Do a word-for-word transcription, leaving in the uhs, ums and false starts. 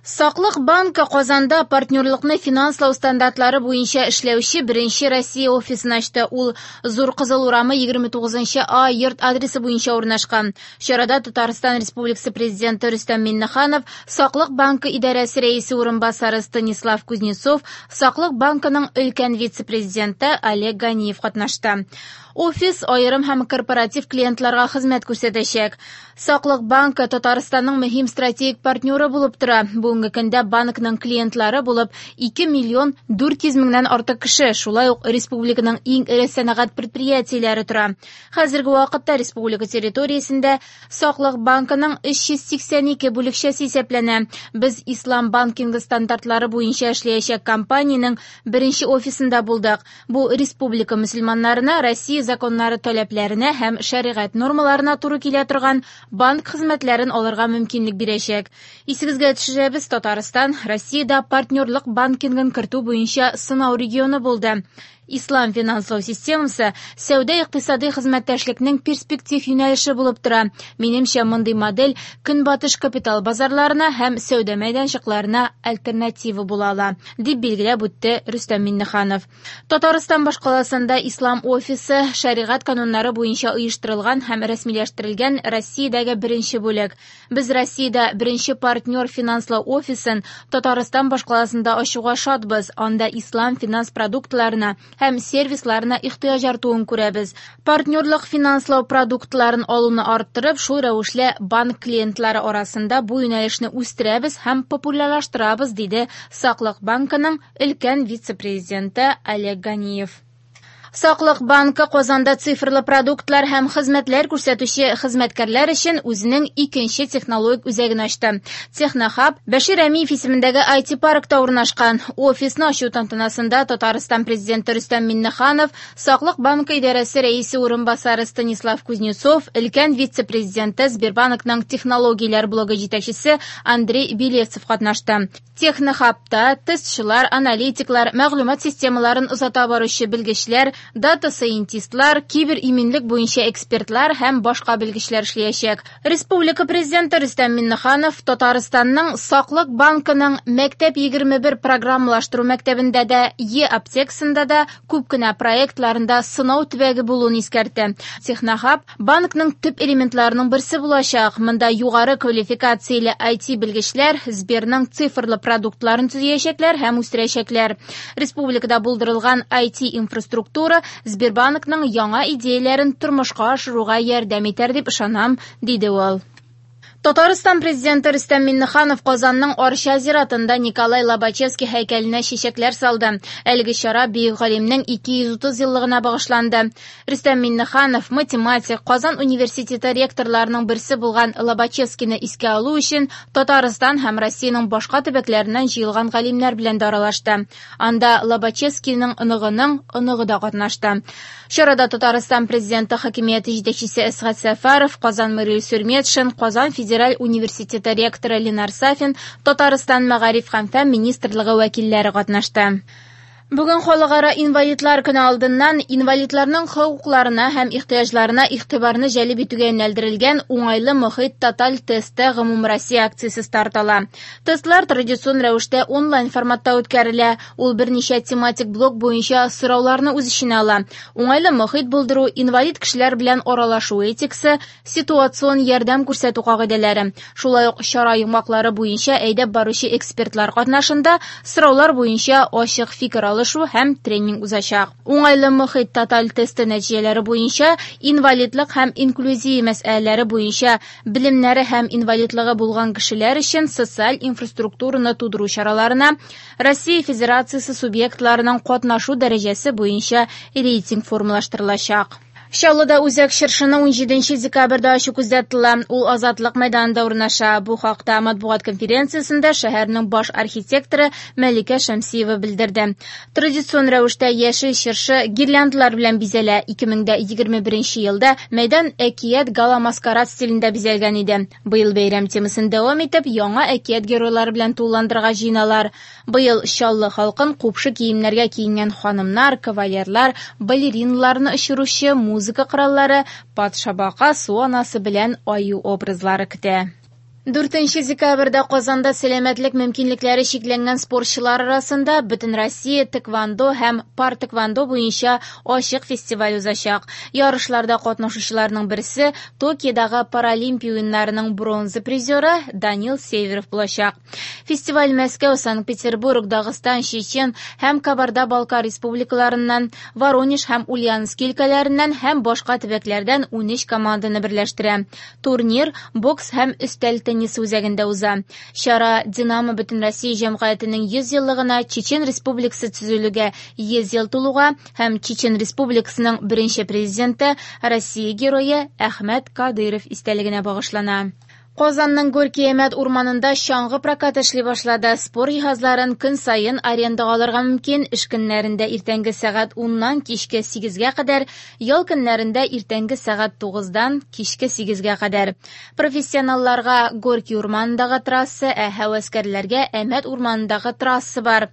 Саклык банкы Казанда партнерлыкны финанслау стандартлары буенча эшләүче беренче Россия офисын ачты. Ул Зур Кызыл урамы егерме тугызынчы А йорт адресы буенча урнашкан. Чарада Татарстан Республикасы Президенты Рөстәм Миңнеханов, Саклык банкы идарәсе рәисе урынбасары Станислав Кузнецов, Саклык банкының өлкән вице-президенты Олег Ганиев катнашты. Офис аерым һәм корпоратив клиентларга хезмәт күрсәтәчәк. Саклык банкы Татарстанның мөһим стратегик партнеры булып тора. Бүгенге көндә банкның клиентлары булып ике миллион дүрт йөз меңнән артык кеше, шулай ук республиканың иң эре сәнәгать предприятиеләре тора. Хәзерге вакытта республика территориясендә Саклык банкының өч йөз сиксән ике бүлекчәсе исәпләнә. Без ислам банкингы стандартлары буенча эшләячәк компаниянең беренче офисында булдык. Бу республика мөселманнарына Россия законнары таләпләренә һәм шәригать нормаларына туры килә торган банк хезмәтләрен алырга мөмкинлек бирәчәк. Исегезгә төшерәбез, Татарстан Россиядә партнерлык банкингын кертү буенча сынау регионы булды. Ислам финанслау системасы сәүдә икътисади хезмәттәшлекнең перспектив юнәлеше булып тора. Минемчә, мондый модель көнбатыш капитал базарларына һәм сәүдә мәйданчыкларына альтернатива була ала, дип билгеләп үтте Рөстәм Миңнеханов. Татарстан башкаласында Ислам офисы шәригать кануннары буенча оештырылган һәм рәсмиләштерелгән Россиядәге беренче бүлек. Без Россиядә беренче партнер финанслау офисын Татарстан башкаласында ачуга шатбыз. Анда ислам финанс продуктларына һәм сервисларына ихтыяҗ артуын күрәбез. Партнерлык финанслау продуктларын алуны арттырып, шул рәвешле банк клиентлары арасында бу юнәлешне үстерәбез һәм популярлаштырабыз, диде Саклык банкының өлкән вице-президенты Олег Ганиев. Саклык банкы Казанда цифрлы продуктлар һәм хезмәтләр күрсәтүче хезмәткәрләр өчен үзенең икенче технологик үзәген ачты. Технохаб Бәшир Рәмиев исемендәге ай ти-паркта урнашкан. Офисны ачу тантанасында Татарстан президенты Рөстәм Миңнеханов, Саклык банкы идарәсе рәисе урынбасары Станислав Кузнецов, өлкән вице-президенты Сбербанкның технологияләр блогы җитәкчесе Андрей Белевцев катнашты. Технохабта тестчылар, аналитиклар, мәгълүмат системаларын озата баручы белгечләр, дата-сайентистлар, кибер-иминлек буенча экспертлар һәм башка белгечләр эшләячәк. Республика президенты Рөстәм Миңнеханов Татарстанның Саклык банкының Мәктәп егерме бер программалаштыру мәктәбендә дә, Е-аптексында да күп кенә проектларында сынау төбәге булуын искәртте. Технохаб банкның төп элементларының берсе булачак. Монда югары квалификацияле ай ти белгечләр Сберның цифрлы продуктларын төзәячәкләр һәм үстерәчәкләр. Республикада булдырылган ай ти инфраструктура Сбербанкның яңа идеяләрен тормышка ашыруга ярдәм итәр дип ышанам, диде ул. Татарстан президенты Рөстәм Миңнеханов Казанның Арча зиратында Николай Лобачевский һәйкәленә чәчәкләр салды. Әлеге чара бөек галимнең ике йөз утыз еллыгына багышланды. Рөстәм Миңнеханов математик, Казан университеты ректорларының берсе булган Лобачевскийны искә алу өчен Татарстан һәм Россиянең башка төбәкләреннән җыелган галимнәр белән дә аралашты. Анда Лобачевскийның оныгының оныгы да катнашты. Чарада Татарстан президенты хакимияте җитәкчесе Әсгать Сәфәров, Казан мэры Илсур Метшин, Казан федераль университеты ректоры Ленар Сафин, Татарстан мәгариф һәм фән министрлыгы вәкилләре катнашты. Бүген халыкара инвалидлар көне алдыннан инвалидларның хокукларына һәм ихтыяҗларына игътибарны җәлеп итүгә юнәлдерелгән уңайлы мохит тоталь тесты гомумроссия акциясе старт ала. Тестлар традицион рәвештә онлайн форматта үткәрелә. Ул берничә тематик блок буенча сорауларны үз эченә ала. Уңайлы мохит булдыру, инвалид кешеләр белән аралашу этикасы, ситуацион ярдәм күрсәтү кагыйдәләре. Шулай ук чара йомгаклары буенча әйдәп баручы экспертлар катнашында сораулар буенча ачык фикер алышу һәм тренинг узачак. Уңайлы мохит тоталь тесты нәтиҗәләре буенча инвалидлык һәм инклюзия мәсьәләләре буенча белемнәре һәм инвалидлыгы булган кешеләр өчен социаль инфраструктураны тудыру чараларына Россия Федерациясе субъектларының катнашу дәрәҗәсе буенча рейтинг формалаштырылачак. Чаллыда үзәк чыршыны унҗиденче декабрьдә ачу күздә тотыла. Ул Азатлык мәйданында урнаша. Бу хакта матбугат конференциясендә шәһәрнең баш архитекторы Мәликә Шәмсиева белдерде. Традицион рәвештә яшел чыршы гирляндалар белән бизәлә. Ике мең дә егерме беренче елда мәйдан әкият гала-маскарад стилендә бизәлгән иде. Быел бәйрәм темасын дәвам итеп, яңа әкият геройлары белән тулыландырырга җыеналар. Быел Чаллы халкын купшы киемнәргә киенгән ханымнар, кавалерлар, балериналарны очыручы музыка кораллары, патша бака, су анасы белән аю образлары көтә. Дүртенче декабрьдә Казанда сәламәтлек мөмкинлекләре чикләнгән спортчылар арасында Бөтенроссия тхэквондо һәм пара-тхэквондо буенча ачык фестиваль узачак. Ярышларда катнашучыларның берсе Токиодагы Паралимпия уеннарының бронза призеры Данил Северов булачак. Фестиваль Мәскәү, Санкт-Петербург, Дагыстан, Чечен һәм Кабарда-Балкар республикаларыннан, Воронеж һәм Ульяновский өлкәләреннән һәм башка төбәкләрдән унөч команданы берләштерә. Турнир бокс һәм өстәл теннисы үзәгендә уза. Чара «Динамо» Бөтенроссия җәмгыятенең йөз еллыгына, Чечен Республикасы төзелүгә йөз ел тулуга һәм Чечен Республикасының беренче президенты, Россия герое Әхмәт Кадыйров истәлегенә багышлана. Казанның Горки-Әмәт урманында чаңгы прокаты эшли башлады. Спорт җиһазларын көн саен арендага алырга мөмкин. Эш көннәрендә иртәнге сәгать уннан кичке сигезгә кадәр, ял көннәрендә иртәнге сәгать тугыздан кичке сигезгә кадәр. Профессионалларга Горки урманындагы трасса, ә һәвәскәрләргә Әмәт урманындагы трасса бар.